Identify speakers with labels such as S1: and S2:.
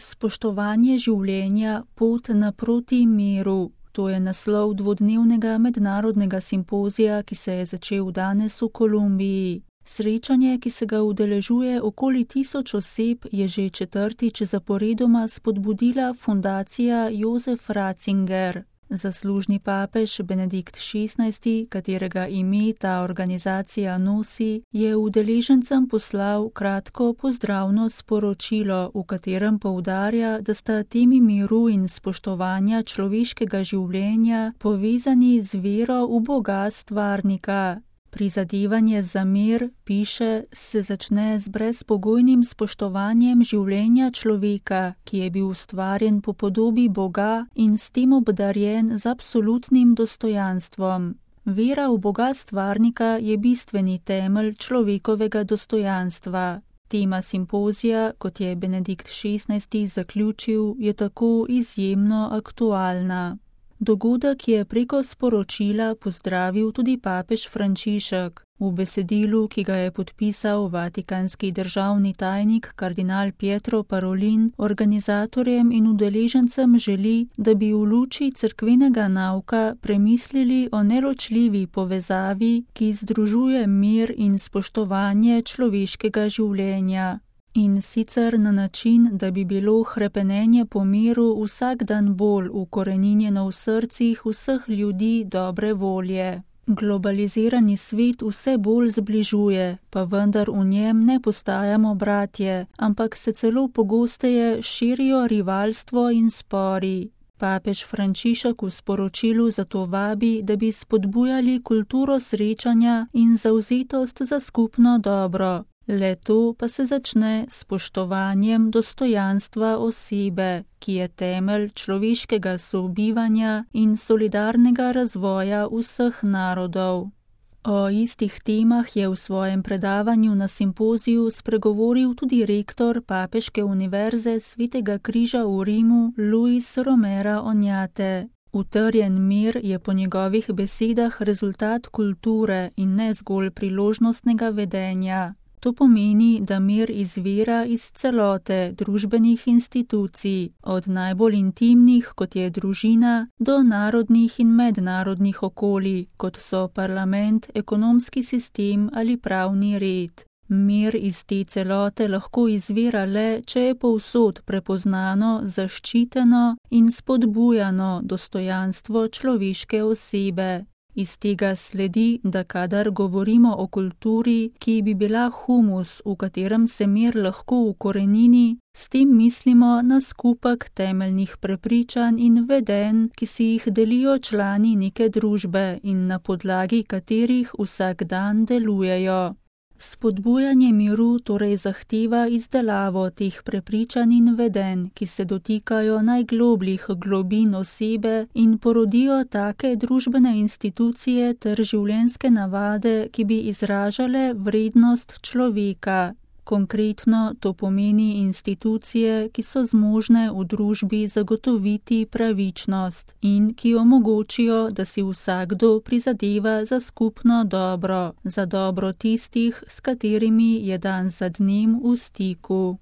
S1: Spoštovanje življenja, pot naproti miru. To je naslov dvodnevnega mednarodnega simpozija, ki se je začel danes v Kolumbiji. Srečanje, ki se ga udeležuje okoli 1000 oseb, je že 4. zaporedoma spodbudila fundacija Josef Ratzinger. Zaslužni papež Benedikt XVI, katerega ime ta organizacija nosi, je udeležencem poslal kratko pozdravno sporočilo, v katerem poudarja, da sta temi miru in spoštovanja človeškega življenja povezani z vero v Boga stvarnika. Prizadevanje za mir, piše, se začne z brezpogojnim spoštovanjem življenja človeka, ki je bil ustvarjen po podobi Boga in s tem obdarjen z absolutnim dostojanstvom. Vera v Boga stvarnika je bistveni temelj človekovega dostojanstva. Tema simpozija, kot je Benedikt XVI zaključil, je tako izjemno aktualna. Dogodek je preko sporočila pozdravil tudi papež Frančišek. V besedilu, ki ga je podpisal vatikanski državni tajnik kardinal Pietro Parolin, organizatorjem in udeležencem želi, da bi v luči cerkvenega nauka premislili o neločljivi povezavi, ki združuje mir in spoštovanje človeškega življenja. In sicer na način, da bi bilo hrepenenje po miru vsak dan bolj ukoreninjeno v srcih vseh ljudi dobre volje. Globalizirani svet vse bolj zbližuje, pa vendar v njem ne postajamo bratje, ampak se celo pogosteje širijo rivalstvo in spori. Papež Frančišek v sporočilu zato vabi, da bi spodbujali kulturo srečanja in zavzetost za skupno dobro. Le to pa se začne s spoštovanjem dostojanstva osebe, ki je temelj človeškega sobivanja in solidarnega razvoja vseh narodov. O istih temah je v svojem predavanju na simpoziju spregovoril tudi rektor Papeške univerze Svetega križa v Rimu Luis Romera Oñate. Utrjen mir je po njegovih besedah rezultat kulture in ne zgolj priložnostnega vedenja. To pomeni, da mir izvira iz celote družbenih institucij, od najbolj intimnih, kot je družina, do narodnih in mednarodnih okolij, kot so parlament, ekonomski sistem ali pravni red. Mir iz te celote lahko izvira le, če je povsod prepoznano, zaščiteno in spodbujano dostojanstvo človeške osebe. Iz tega sledi, da kadar govorimo o kulturi, ki bi bila humus, v katerem se mir lahko ukorenini, s tem mislimo na skupek temeljnih prepričanj in vedenj, ki si jih delijo člani neke družbe in na podlagi katerih vsak dan delujejo. Spodbujanje miru torej zahteva izdelavo teh prepričanj in vedenj, ki se dotikajo najglobljih globin osebe in porodijo take družbene institucije ter življenjske navade, ki bi izražale vrednost človeka. Konkretno to pomeni institucije, ki so zmožne v družbi zagotoviti pravičnost in ki omogočijo, da si vsakdo prizadeva za skupno dobro, za dobro tistih, s katerimi je dan za dnem v stiku.